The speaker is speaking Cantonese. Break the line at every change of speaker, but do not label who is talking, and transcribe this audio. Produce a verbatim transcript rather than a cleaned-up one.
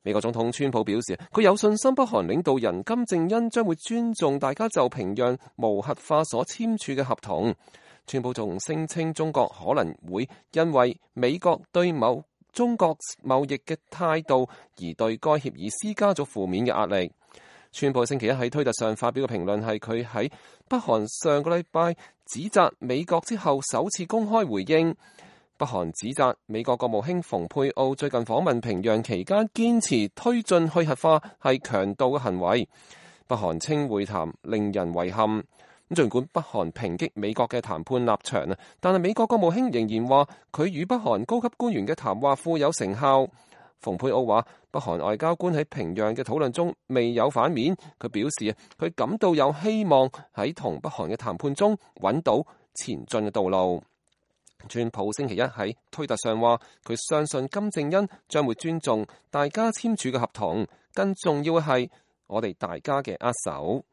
美國總統川普表示，佢有信心北韓領導人金正恩將會尊重大家就平壤無核化所簽署嘅合同。川普仲聲稱中國可能會因為美國對某中國貿易嘅態度而對該協議施加咗負面嘅壓力。川普星期一喺推特上發表嘅評論係佢喺北韓上個禮拜指責美國之後首次公開回應。北韓指責美國國務卿蓬佩奧最近訪問平壤期間堅持推進去核化係強盜嘅行為。北韓稱會談令人遺憾。咁儘管北韓抨擊美國嘅談判立場啊，但係美國國務卿仍然話佢與北韓高級官員嘅談話富有成效。蓬佩奧話北韓外交官喺平壤嘅討論中未有反面，佢表示啊，佢感到有希望喺同北韓嘅談判中揾到前進嘅道路。川普星期一喺推特上話，佢相信金正恩將會尊重大家簽署嘅合同，更重要嘅係我哋大家嘅握手。